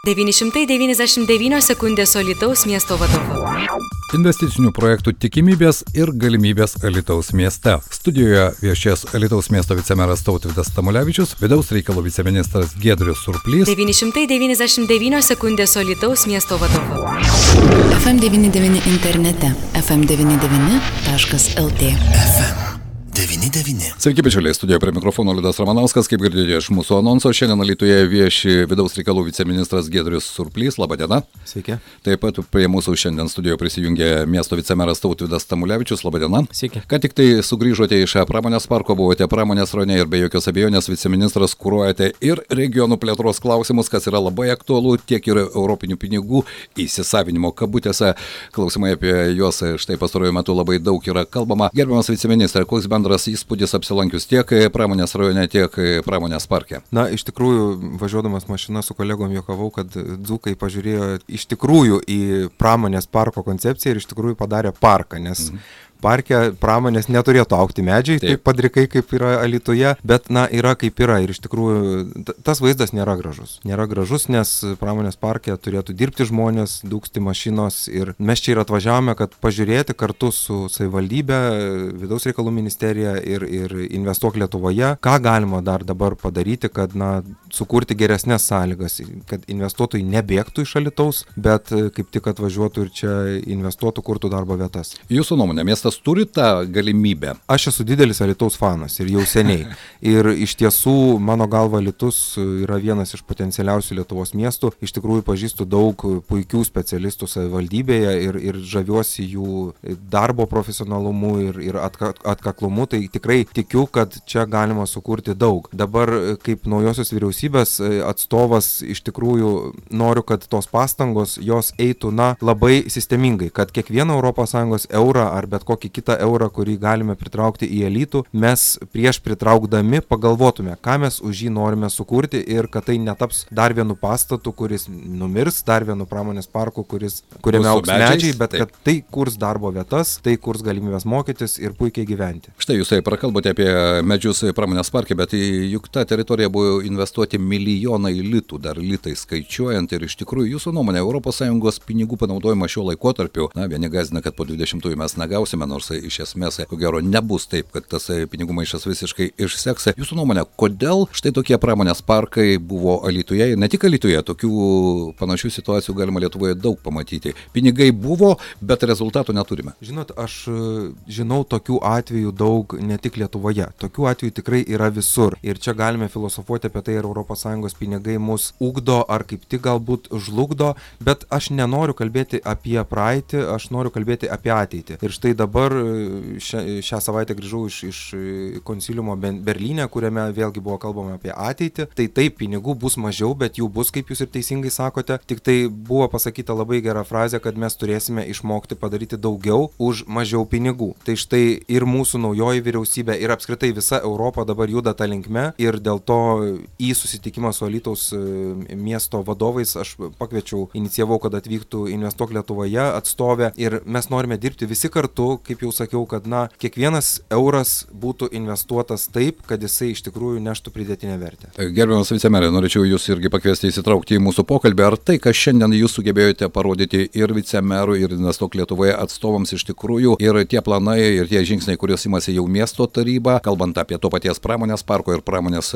999 sekundės Alytaus miesto vadovu. Investicinių projektų tikimybės ir galimybės Alytaus mieste. Studijoje viešės Alytaus miesto vicemeras Tautvydas Tamulevičius, vidaus reikalų viceministras Giedrius Surplys. 999 sekundės Alytaus miesto vadovu. FM99 internete fm99.lt. FM99. Sveiki, bičiuliai, studijoje prie mikrofono Liudas Ramanauskas, kaip girdėjote iš mūsų anonso. Šiandien Alytuje vieši vidaus reikalų viceministras Giedrius Surplys. Labą dieną. Sveiki. Taip pat prie mūsų šiandien studijoje prisijungė miesto vicemeras Tautvydas Tamulevičius. Labą dieną. Sveiki. Ką tik tai sugrįžote iš pramonės parko, buvote pramonės rajone ir be jokios abejonės viceministras kuruojate ir regionų plėtros klausimus, kas yra labai aktualu, tiek ir europinių pinigų įsisavinimo kabutėse. Klausimai apie juos štai pastaruoju metu labai daug yra kalbama. Gerbiamas viceministras, koks bendras įspūdis apsilankius tiek pramonės rajone, tiek pramonės parke? Na, iš tikrųjų, važiuodamas mašina su kolegom juokavau, kad dzūkai pažiūrėjo iš tikrųjų į pramonės parko koncepciją ir iš tikrųjų padarė parką, nes parke pramonės neturėtų augti medžiai, taip padrikai kaip yra Alytuje, bet yra kaip yra ir iš tikrųjų tas vaizdas nėra gražus. Nėra gražus, nes pramonės parke turėtų dirbti žmonės, dūksti mašinos ir mes čia ir atvažiavome, kad pažiūrėti kartu su savivaldybė, vidaus reikalų ministerija ir Investuok Lietuvoje, ką galima dar dabar padaryti, kad sukurti geresnės sąlygas, kad investuotojai nebėgtų iš Alytaus, bet kaip tik atvažiuotų ir čia investuotų, kurtų darbo vietas. Jūsų nuomonė, miestas turi tą galimybę? Aš esu didelis Alytaus fanas ir jau seniai. Ir iš tiesų, mano galva, Alytus yra vienas iš potencialiausių Lietuvos miestų. Iš tikrųjų, pažįstu daug puikių specialistų savivaldybėje ir žaviuosi jų darbo profesionalumu ir atkaklumu. Tai tikrai tikiu, kad čia galima sukurti daug. Dabar, kaip naujosios vyriausybės atstovas, iš tikrųjų noriu, kad tos pastangos jos eitų labai sistemingai, kad kiekvieną ES eurą ar bet kokį kitą eurą, kurį galime pritraukti į Alytų, mes prieš pritraukdami pagalvotume, ką mes už jį norime sukurti ir kad tai netaps dar vienu pastatu, kuris numirs, dar vienu pramonės parku, kuriame augs medžiai, bet kad tai kurs darbo vietas, tai kurs galimybės mokytis ir puikiai gyventi. Štai jūs prakalbote apie medžius pramonės parke, bet juk ta teritorija buvo investuoti milijonai litų, dar litai skaičiuojant ir iš tikrųjų jūsų nuomonė, ES pinigų panaudojimas šiuo laikotarpiu, vieni gąsdina, kad po 20 mes negausime, nors iš esmės, ko gero, nebus taip, kad tas pinigų maišas visiškai išseks. Jūsų nuomonė, kodėl štai tokie pramonės parkai buvo Alytuje ir ne tik Alytuje, tokių panašių situacijų galima Lietuvoje daug pamatyti. Pinigai buvo, bet rezultatų neturime. Žinot, aš žinau tokių atvejų daug ne tik Lietuvoje. Tokių atvejų tikrai yra visur. Ir čia galime filosofuoti apie tai, ar ES pinigai mus ugdo, ar kaip tik galbūt žlugdo, bet aš nenoriu kalbėti apie praeitį, aš noriu kalbėti apie ateitį. Ir štai dabar šią savaitę grįžau iš konsiliumo Berlyne, kuriame vėlgi buvo kalbama apie ateitį. Tai taip, pinigų bus mažiau, bet jų bus, kaip jūs ir teisingai sakote. Tik tai buvo pasakyta labai gera frazė, kad mes turėsime išmokti padaryti daugiau už mažiau pinigų. Tai štai ir mūsų naujoji vyriausybė ir apskritai visa Europa dabar juda tą linkme ir dėl to į susitikimą su Alytaus miesto vadovais aš pakviečiau, inicijavau, kad atvyktų Investuok Lietuvoje atstovė ir mes norime dirbti visi kartu, kaip jau sakiau, kad kiekvienas euras būtų investuotas taip, kad jisai iš tikrųjų neštų pridėtinę vertę. Gerbiamas vicemerė, norėčiau jūs irgi pakviesti įsitraukti į mūsų pokalbį. Ar tai, kas šiandien jūs sugebėjote parodyti ir vicemerų, ir Investuok Lietuvoje atstovams iš tikrųjų, ir tie planai, ir tie žingsniai, kuriuos imasi jau miesto taryba, kalbant apie to paties pramonės parko ir pramonės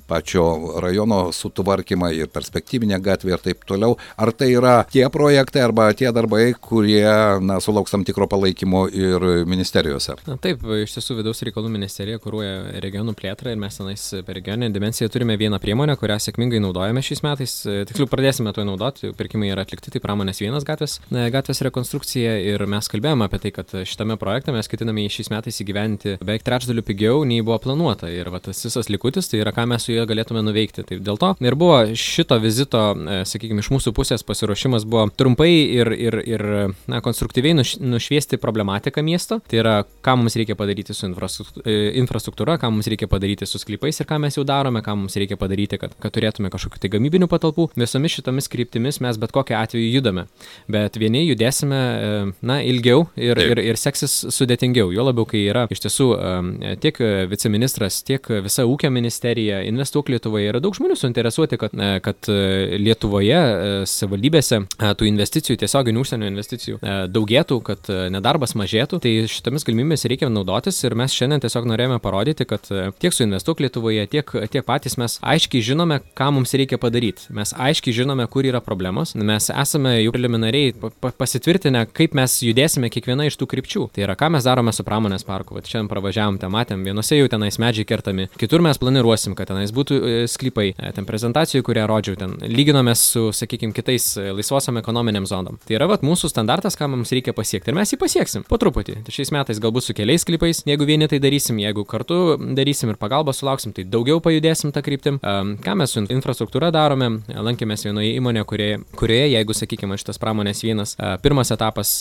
pačio rajono sutvarkymą ir perspektyvinę gatvę ir taip toliau, ar tai yra tie projektai arba tie darbai, kurie sulauks tam tikro palaikymo ir ministerijose? Taip, iš tiesų vidaus reikalų ministerija kuruoja regionų plėtrą ir mes tenais per regioninę dimensiją turime vieną priemonę, kurią sėkmingai naudojame šiais metais. Tiksliau pradėsime to naudoti, pirkimai yra atlikti, tai pramonės 1 gatvės rekonstrukcija ir mes kalbėjome apie tai, kad šitame projekte mes ketiname šiais metais įgyventi beveik trečdaliu pigiau nei buvo planuota ir tas visas likutis, tai yra ką mes su juo galėtume nuveikti. Tai dėl to ir buvo šito vizito, sakykime, iš mūsų pusės pasiruošimas buvo trumpai ir konstruktyviai nušviesti problematiką politika miesto. Tai yra, ką mums reikia padaryti su infrastruktūra, ką mums reikia padaryti su sklypais ir ką mes jau darome, ką mums reikia padaryti, kad turėtume kažkokių tai gamybinių patalpų. Visomis šitomis kryptimis mes bet kokiu atveju judame. Bet vieni judėsime, ilgiau ir seksis sudėtingiau. Jo labiau, kai yra iš tiesų tiek viceministras, tiek visa ūkio ministerija, Investuok Lietuvoje, yra daug žmonių suinteresuoti, kad Lietuvoje savivaldybėse tų investicijų, tiesioginių užsienio investicijų daugėtų, kad nedarbas mažėtų. Tai šitomis galimybėmis reikia naudotis ir mes šiandien tiesiog norėjome parodyti, kad tiek su Investuok Lietuvoje, tiek patys mes aiškiai žinome, ką mums reikia padaryti. Mes aiškiai žinome, kur yra problemos. Mes esame jau preliminariai pasitvirtinę, kaip mes judėsime kiekviena iš tų krypčių. Tai yra, ką mes darome su pramonės parku. Vat šiandien pravažiavom, ten matėm, vienose jau tenais medžiai kertami, kitur mes planiruosim, kad tenais būtų sklypai. Ten prezentacijų, kurią rodžiau, ten lyginome su, sakykime, kitais laisvosiom ekonominiam zonom. Tai yra mūsų standartas, ką mums reikia pasiekti. Ir mes jį pasieksim po truputį. Tai šiais metais galbūt su keliais sklypais, jeigu vieni tai darysim, jeigu kartu darysim ir pagalbą sulauksim, tai daugiau pajudėsim tą kryptim. Ką mes su infrastruktūra darome? Lankėmės vienoje įmonėje, kurioje, jeigu, sakykime, šitas pramonės vienas, pirmas etapas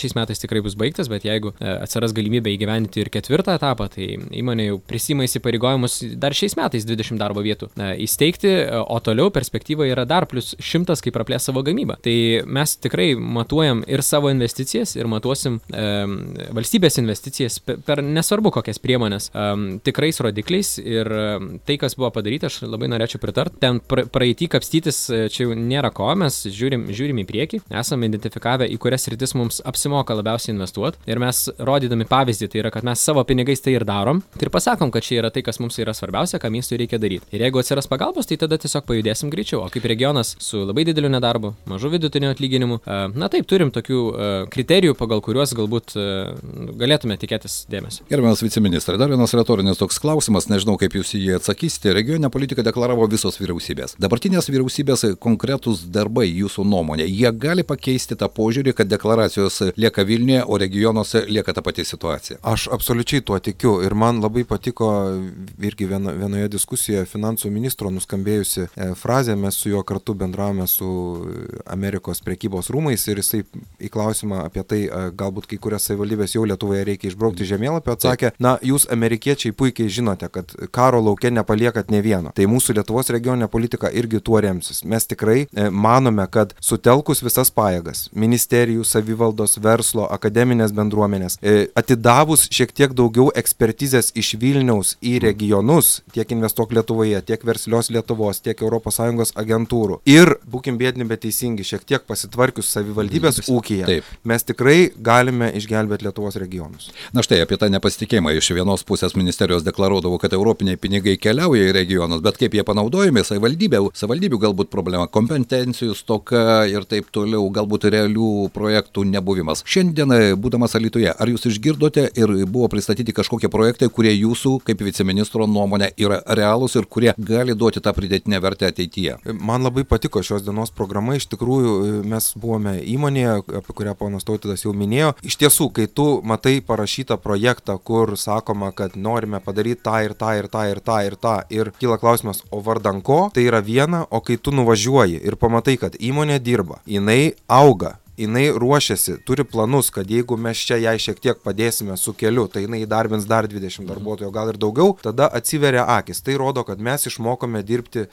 šiais metais tikrai bus baigtas, bet jeigu atsiras galimybė įgyvendinti ir ketvirtą etapą, tai įmonė jau prisima įsipareigojimus dar šiais metais 20 darbo vietų įsteigti, o toliau perspektyva yra dar plus 100, kaip praplės savo gamybą. Tai mes tikrai matuojam ir savo investicijas, ir matuosim valstybės investicijas per nesvarbu kokias priemonės, tikrais rodikliais, ir tai, kas buvo padaryta, aš labai norėčiau pritart. Ten praeitį kapstytis čia jau nėra ko, mes žiūrim į priekį, esame identifikavę, į kurias sritis mums apsimoka labiausiai investuoti, ir mes rodydami pavyzdį, tai yra, kad mes savo pinigais tai ir darom, tai ir pasakom, kad čia yra tai, kas mums yra svarbiausia, ką miestui reikia daryti. Ir jeigu atsiras pagalbos, tai tada tiesiog pajudėsim greičiau. O kaip regionas su labai dideliu nedarbu, mažu vidutiniu atlyginimu, taip, turim tokių kriterijų, pagal kuriuos galbūt galėtume tikėtis dėmesio. Gerbiamas viceministrai, dar vienas retorinis toks klausimas, nežinau, kaip jūs jį atsakysite. Regioninę politiką deklaravo visos vyriausybės. Dabartinės vyriausybės konkretūs darbai, jūsų nuomonė, jie gali pakeisti tą požiūrį, kad deklaracijos lieka Vilniuje, o regionuose lieka ta pati situacija? Aš absoliučiai tuo tikiu ir man labai patiko irgi vienoje diskusijoje finansų ministro nuskambėjusi frazė, mes su juo kartu bendravome su Amerikos prekybos rūmais ir jisai į klausimą apie tai, galbūt kai kurias savivaldybės jau Lietuvoje reikia išbraukti žemėlapio, atsakė, jūs amerikiečiai puikiai žinote, kad karo lauke nepaliekat ne vieno. Tai mūsų Lietuvos regioninė politika irgi tuo remsis. Mes tikrai manome, kad sutelkus visas pajėgas, ministerijų, savivaldos, verslo, akademinės bendruomenės, atidavus šiek tiek daugiau ekspertizės iš Vilniaus į regionus, tiek Investuok Lietuvoje, tiek Verslios Lietuvos, tiek ES agentūrų ir, būkim biedni, bet teisingi, šiek tiek pasitvarkius savivaldybės ūkyje, mes tikrai galime išgelbėti Lietuvos regionus. Na štai, apie tą nepasitikėjimą iš vienos pusės ministerijos deklaruodavo, kad europiniai pinigai keliauja į regionus, bet kaip jie panaudojami, savivaldybių galbūt problema, kompetencijų stoka ir taip toliau, galbūt realių projektų nebuvimas. Šiandien, būdamas Alytuje, ar jūs išgirdote ir buvo pristatyti kažkokie projektai, kurie jūsų, kaip viceministro nuomonė, yra realūs ir kurie gali duoti tą pridėtinę vertę ateityje? Man labai patiko šios dienos programa, iš tikrųjų mes buvome įmonėje, apie kurią ponas Tautvydas jau minėjo. Iš tiesų, kai tu matai parašytą projektą, kur sakoma, kad norime padaryti tą ir tą ir tą ir tą ir tą, ir kyla klausimas, o vardan ko, tai yra viena, o kai tu nuvažiuoji ir pamatai, kad įmonė dirba, jinai auga, jinai ruošiasi, turi planus, kad jeigu mes čia jai šiek tiek padėsime su keliu, tai jinai įdarbins dar 20 darbuotojų, gal ir daugiau, tada atsiveria akis. Tai rodo, kad mes išmokome dirbti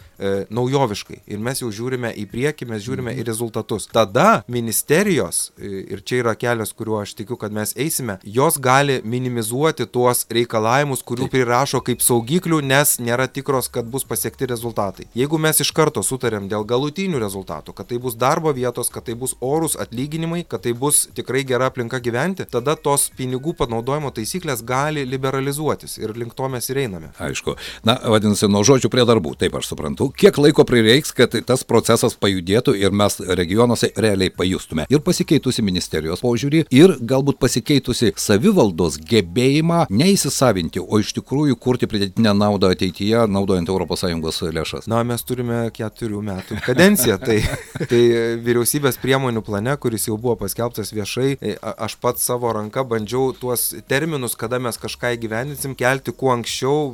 naujoviškai ir mes jau žiūrime į priekį, mes žiūrime į rezultatus. Tada ministerijos, ir čia yra kelias, kuriuo aš tikiu, kad mes eisime, jos gali minimizuoti tuos reikalavimus, kurių prirašo kaip saugiklių, nes nėra tikros, kad bus pasiekti rezultatai. Jeigu mes iš karto sutarėm dėl galutinių rezultatų, kad tai bus darbo vietos, kad tai bus orus atlyginimai, kad tai bus tikrai gera aplinka gyventi, tada tos pinigų panaudojimo taisyklės gali liberalizuotis ir link to mes ir einame. Aišku. Na, vadinasi, nuo žodžių prie darbų, taip aš suprantu. Kiek laiko prireiks, kad tas procesas pajudėtų ir mes regionuose realiai pajustume ir pasikeitusi ministerijos požiūrį ir galbūt pasikeitusi savivaldos gebėjimą neįsisavinti, o iš tikrųjų kurti pridėtinę naudą ateityje, naudojant ES lėšas? Na, mes turime 4 metų kadenciją, tai vyriausybės priemonių plane, kuris jau buvo paskelbtas viešai, aš pats savo ranka bandžiau tuos terminus, kada mes kažką įgyvendinsim, kelti kuo anksčiau,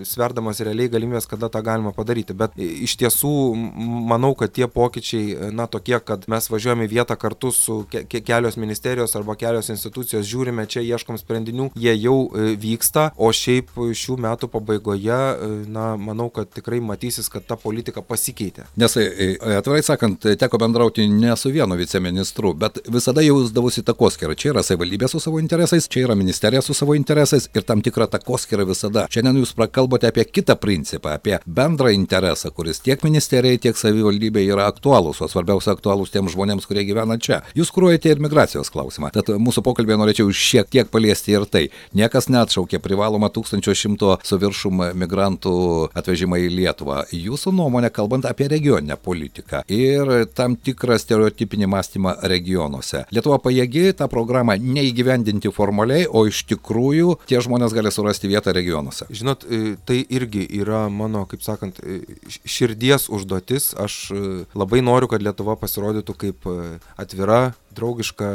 sverdamas realiai galimybės, kada tą galima padaryti. Bet iš tiesų manau, kad tie pokyčiai, tokie, kad mes važiuojame į vietą kartu su kelios ministerijos arba kelios institucijos, žiūrime čia, ieškom sprendinių, jie jau vyksta, o šiaip šių metų pabaigoje, manau, kad tikrai matysis, kad ta politika pasikeitė. Nes, atvirai sakant, teko bendrauti ne su vienu viceministru, bet visada jausdavosi takoskyrą. Čia yra savivaldybė su savo interesais, čia yra ministerija su savo interesais ir tam tikra takoskyrą visada. Šiandien jūs prakalbote apie kitą principą, apie bendrą interesą, kuris tiek ministerijai, tiek savivaldybė yra aktualūs, o svarbiausia aktualūs tiems žmonėms, kurie gyvena čia. Jūs kuruojate ir migracijos klausimą. Tad mūsų pokalbėje norėčiau šiek tiek paliesti ir tai. Niekas neatšaukė privalomą 1100 su viršum migrantų atvežimą į Lietuvą. Jūsų nuomonė, kalbant apie regioninę politiką ir tam tikrą stereotipinį mąstymą regionuose. Lietuva pajėgi tą programą neįgyvendinti formaliai, o iš tikrųjų tie žmonės gali surasti vietą regionuose. Žinot, tai irgi yra mano, kaip sakant, širdies užduotis. Aš labai noriu, kad Lietuva pasirodytų kaip atvira, draugiška,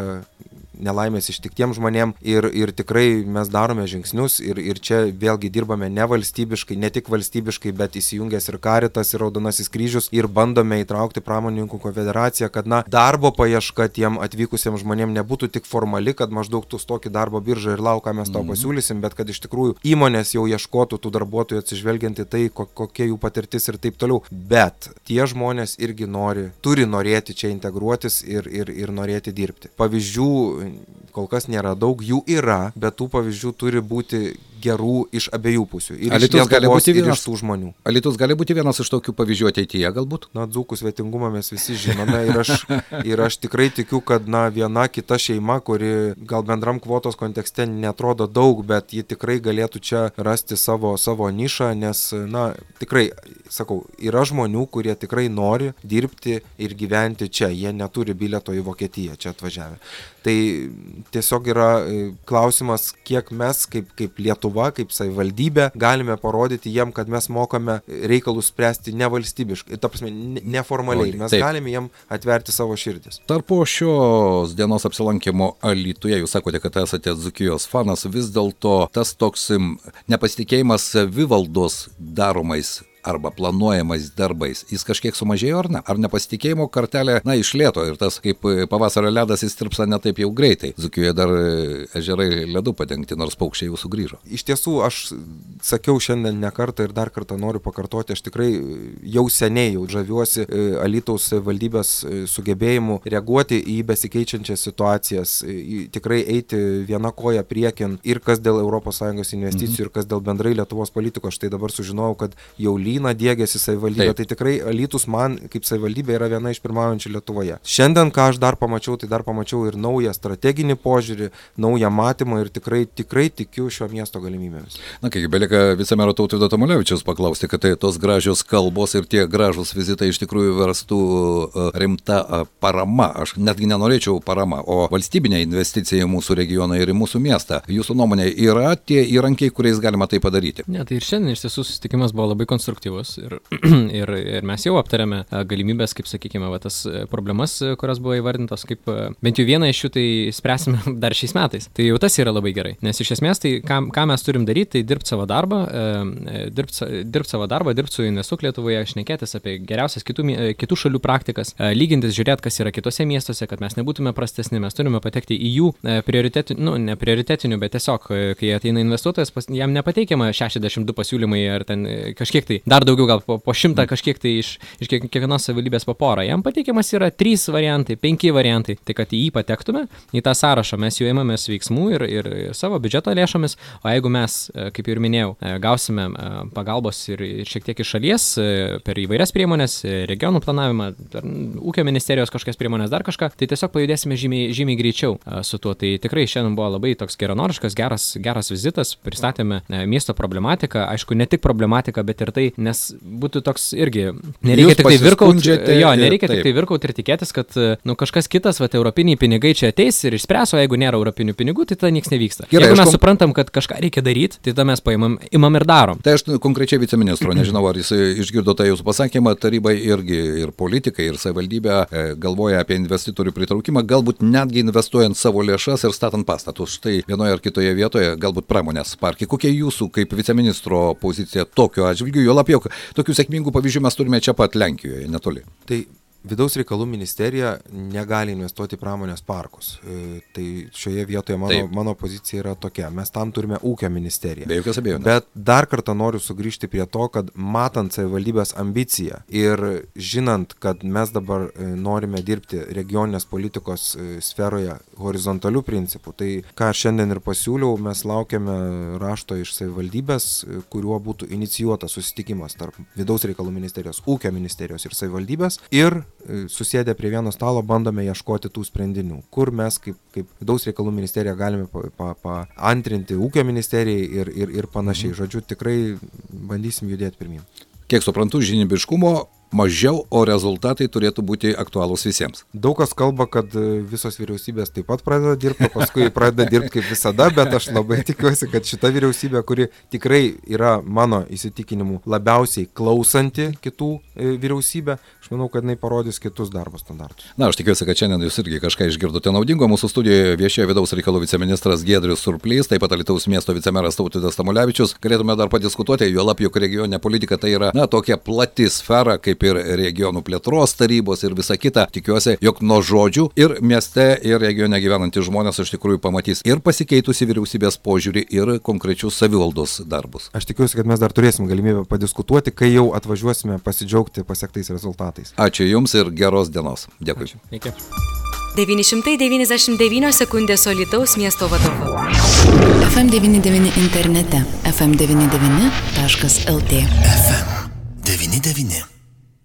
nelaimės ištiktiems žmonėm ir tikrai mes darome žingsnius ir čia vėlgi dirbame ne valstybiškai, ne tik valstybiškai, bet įsijungęs ir Caritas, ir Raudonasis kryžius ir bandome įtraukti pramonininkų konfederaciją, kad darbo paieška tiem atvykusiems žmonėm nebūtų tik formali, kad maždaug tu stok į darbo biržą ir lauk, ką mes tau pasiūlysim, bet kad iš tikrųjų įmonės jau ieškotų tų darbuotojų atsižvelgiant į tai, kokia jų patirtis ir taip toliau. Bet tie žmonės irgi turi norėti čia integruotis ir norėti dirbti. Pavyzdžių kol kas nėra daug, jų yra, bet tų pavyzdžių turi būti gerų iš abiejų pusių. Ir Alytus gali būti vienas iš tų žmonių. Alytus gali būti vienas iš tokių pavyzdžių ateityje galbūt? Dzūkų svetingumą mes visi žinome ir aš tikrai tikiu, kad viena kita šeima, kuri gal bendram kvotos kontekste netrodo daug, bet ji tikrai galėtų čia rasti savo nišą, nes, tikrai, sakau, yra žmonių, kurie tikrai nori dirbti ir gyventi čia. Jie neturi bilieto į Vokietiją čia atvažiavę. Tai tiesiog yra klausimas, kiek mes kaip Lietuva, kaip savivaldybė galime parodyti jiem, kad mes mokame reikalus spręsti nevalstybiškai, ta prasme, neformaliai. Mes galime jiem atverti savo širdis. Tarpo šios dienos apsilankimo Alytuje, jūs sakote, kad esate Dzūkijos fanas, vis dėlto tas toks nepasitikėjimas savivaldos daromais arba planuojamais darbais, jis kažkiek sumažėjo ar ne? Ar nepasitikėjimo kartelė, išlėto ir tas kaip pavasario ledas įstirpsa ne taip jau greitai. Dzūkijoje dar ežerai ledu padengti, nors paukščiai jau sugrįžo. Iš tiesų, aš sakiau šiandien ne kartą ir dar kartą noriu pakartoti, aš tikrai jau seniai žaviuosi Alytaus valdybės sugebėjimu reaguoti į besikeičiančias situacijas, tikrai eiti viena koja priekin ir kas dėl ES investicijų, ir kas dėl bendrai Lietuvos politikos. Štai dabar sužinojau, kad jau dėgėsi savivaldybė, tai tikrai Alytus man kaip savivaldybė yra viena iš pirmaujančių Lietuvoje. Šiandien, ką aš dar pamačiau ir naują strateginį požiūrį, naują matymą ir tikrai tikiu šio miesto galimybėmis. Kiek belieka vicemero Tautvydo Tamulevičiaus paklausti, kad tos gražios kalbos ir tie gražus vizitai iš tikrųjų verstų rimta parama. Aš netgi nenorėčiau parama, o valstybinė investicija į mūsų regioną ir į mūsų miestą. Jūsų nuomonė, yra tie įrankiai, kuriais galima tai padaryti? Ne, tai ir šiandien iš tiesų susitikimas buvo labai konstruktyvus ir mes jau aptarėme galimybės, kaip sakykime, tas problemas, kurios buvo įvardintos, kaip bent jau vieną iš jų tai spręsime dar šiais metais. Tai jau tas yra labai gerai, nes iš esmės tai ką mes turim daryti, tai dirbti savo darbą, dirbti su Investuok Lietuvoje, šnekėtis apie geriausias kitų šalių praktikas, lygintis, žiūrėti, kas yra kitose miestuose, kad mes nebūtume prastesni, mes turime patekti į jų ne prioritetinių, bet tiesiog, kai ateina investuotojas, jam nepateikiama 62 pasiūlymai ar ten kažkiek tai dar daugiau, gal po 100 kažkiek tai iš kiekvienos savivaldybės po porą. Jam pateikiamas yra 3 variantai, 5 variantai. Tai kad į jį patektume, į tą sąrašą mes jau ėmėmės veiksmų ir savo biudžeto lėšomis, o jeigu mes, kaip ir minėjau, gausime pagalbos ir šiek tiek iš šalies per įvairias priemonės, regionų planavimą, ūkio ministerijos kažkokias priemonės, dar kažką, tai tiesiog pajudėsime žymiai greičiau su tuo. Tai tikrai šiandien buvo labai toks geranoriškas, geras vizitas, pristatėme miesto problematiką, aišku, ne tik problematiką, bet ir tai, nes būtų toks irgi, nereikia tik tai virkauti ir tikėtis, kad kažkas kitas, europiniai pinigai čia ateis ir išspręs, o jeigu nėra europinių pinigų, tai tada nieks nevyksta. Gerai, jeigu mes suprantam, kad kažką reikia daryti, tai tada mes imam ir darom. Tai aš konkrečiai viceministro, nežinau, ar jis išgirdo tą jūsų pasakymą, tarybai irgi ir politikai, ir savivaldybė galvoja apie investitorių pritraukimą, galbūt netgi investuojant savo lėšas ir statant pastatus. Štai vienoje ar kitoje vietoje, galbūt pramonės parkai. Kokia jūsų kaip viceministro pozicija tokiu atžvilgiu? Jo labiau, tokių sėkmingų pavyzdžių mes turime čia pat Lenkijoje, netoli. Tai Vidaus reikalų ministerija negali investuoti į pramonės parkus. Tai šioje vietoje mano pozicija yra tokia. Mes tam turime ūkio ministeriją. Be jokios abejonės. Bet dar kartą noriu sugrįžti prie to, kad matant savivaldybės ambiciją ir žinant, kad mes dabar norime dirbti regioninės politikos sferoje horizontalių principų, tai ką šiandien ir pasiūliau, mes laukiame rašto iš savivaldybės, kuriuo būtų inicijuotas susitikimas tarp Vidaus reikalų ministerijos, ūkio ministerijos ir savivaldybės ir susėdę prie vieno stalo bandome ieškoti tų sprendinių, kur mes kaip Vidaus reikalų ministerija galime paantrinti ūkio ministerijai ir panašiai. Žodžiu, tikrai bandysim judėti pirmyn. Kiek suprantu, žinybiškumo mažiau, o rezultatai turėtų būti aktualūs visiems. Daug kas kalba, kad visos vyriausybės taip pat pradeda dirbti, paskui pradeda dirbti kaip visada, bet aš labai tikiuosi, kad šita vyriausybė, kuri tikrai yra mano įsitikinimu labiausiai klausanti kitų vyriausybę, aš manau, kad jinai parodys kitus darbo standartus. Na, aš tikiuosi, kad šiandien jūs irgi kažką išgirdote naudingo. Mūsų studijoje viešėjo Vidaus reikalų viceministras Giedrius Surplys, taip pat Alytaus miesto vicemeras Tautvydas Tamulevičius. Galėtume dar padiskutuoti, juolab, jog regioninė politika tai yra, tokia plati sfera, kaip ir regionų plėtros tarybos ir visa kita. Tikiuosi, jog nuo žodžių ir mieste, ir regione gyvenantys žmonės iš tikrųjų pamatys ir pasikeitusi vyriausybės požiūrį, ir konkrečius savivaldos darbus. Aš tikiuosi, kad mes dar turėsim galimybę padiskutuoti, kai jau atvažiuosime pasidžiaugti pasiektais rezultatais. Ačiū Jums ir geros dienos. Dėkui. Iki. 999 sekundės Alytaus miesto vadovu. FM99 internete. FM99.lt. FM 99.